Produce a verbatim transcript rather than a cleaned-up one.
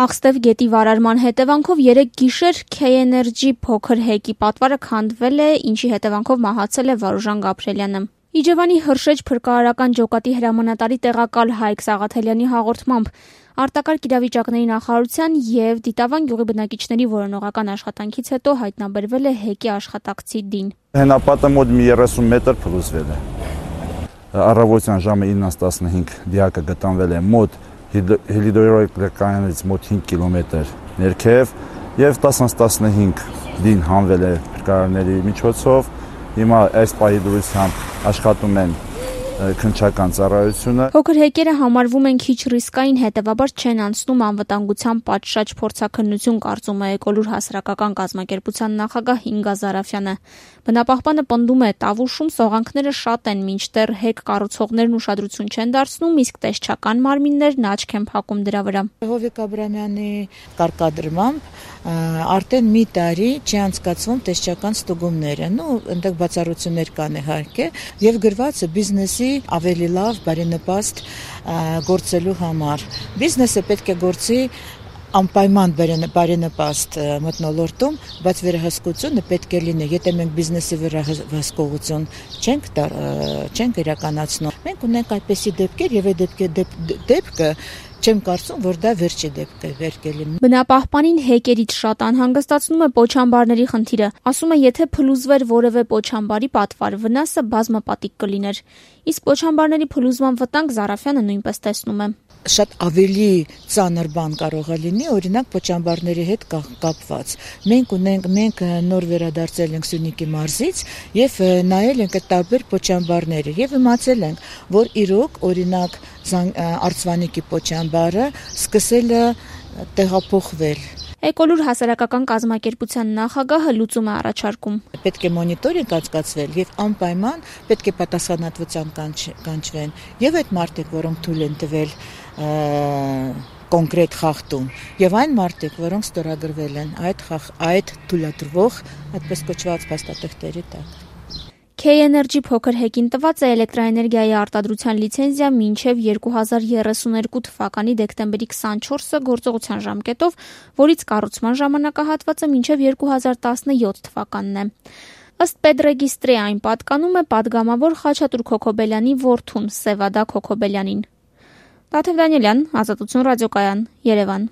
Աղստև գետի վարարման հետևանքով երեկ գիշեր K-Energy փոքր հեկի պատվարը քանդվել է, ինչի հետևանքով մահացել է Վարուժան Գաբրելյանը։ Իջևանի Հրշեջ փրկարարական ջոկատի հրամանատարի տեղակալ Հայկ Սաղաթելյանի հաղորդմամբ արտակարգ իրավիճակների նախարարության եւ Դիտավան գյուղի բնակիչների որոնողական աշխատանքից հետո հայտնաբերվել է հեկի աշխատակցի դին։ Հենապատը մոտ մի երեսուն մետր փլուզվել է։ Առավոտյան ժամը ինը տասնհինգ դիակը գտնվել է մոտ հիդրոէլեկտրակայանից մոտ հինգ կիլոմետր ներքև եւ տասն տասնհինգ դին հանվել է փրկարարների միջոցով։ Հիմա այս պահի դրությամբ աշխատում են քննչական ծառայությունը։ Փոքր հեկերը համարվում են քիչ ռիսկային, հետևաբար չեն անցնում անվտանգության պատշաճ փորձաքննություն, կարծում է Էկոլուր հասարակական կազմակերպության նախագահ Ինգա Զարաֆյանը։ Բնապահպանը պնդում է, Տավուշում սողանքները շատ են, մինչդեռ հեկ կառուցողներն ուշադրություն չեն դարձնում, իսկ տեսչական մարմիններն աչք են փակում դրա վրա։ Հովիկ Աբրամյանի կարգադրմամբ արդեն մի տարի չի անցկացվում տեսչական ստուգումները։ Նու այնտեղ բացառություններ կան իհարկե, եւ գրված է բիզնեսի ավելի լավ, բարենպաստ գործելու համար։ Բիզնեսը պետք է գործի անպայման բարենպաստ մթնոլորտում, բայց վերահսկությունը պետք է լինի։ Եթե մենք բիզնեսի վերահսկողություն չենք չենք իրականացնում, մենք ունենք այդպիսի դեպքեր եւ այդ դեպքը չեմ կարծում, որ դա վերջի դեպք է վերկելի։ Բնապահպանին հեկերից շատ անհանգստացնում է պոչամբարների խնդիրը։ Ասում է, եթե փլուզվեր որևէ պոչամբարի պատվար, վնասը բազմապատիկ կլիներ։ Իսկ պոչամբարների փլուզման վտանգ Զարաֆյանը նույնպես տեսնում է։ Շատ ավելի ծանր բան կարող է լինի, օրինակ պոչամբարների հետ կապված։ Մենք ունենք, մենք նոր վերադարձել ենք Սյունիքի մարզից եւ նայել ենք այդ տարբեր պոչամբարները եւ իմացել ենք, որ իրոք օրինակ Արցվանիկի պոչամբարը սկսել է տեղափոխվել։ Էկոլուր հասարակական կազմակերպության նախագահը լուծում է առաջարկում։ Պետք է մոնիտորինգ անցկացվել եւ անպայման պետք է պատասխանատվության կանչվեն եւ այդ մարդիկ, որոնք թույլ են տվել կոնկրետ խախտում, եւ այն մարդիկ, որոնք ստորագրվել են այդ այդ թույլատրվող, այդպես կոչված փաստաթղթերի տակ։ K-Energy փոքր հեկին տված է էլեկտրաէներգիայի արտադրության լիցենզիա մինչև երկու հազար երեսուներկու թվականի դեկտեմբերի քսանչորսը գործողության ժամկետով, որից կառուցման ժամանակահատվածը մինչև երկու հազար տասնյոթ թվականն է։ Ըստ պետռեգիստրի այն պատկանում է падգամավոր Խաչատուր Քոքոբելյանի որդուն Սևադա Քոքոբելյանին։ Տաթև Դանիելյան, Ազատություն ռադիոկայան, Երևան։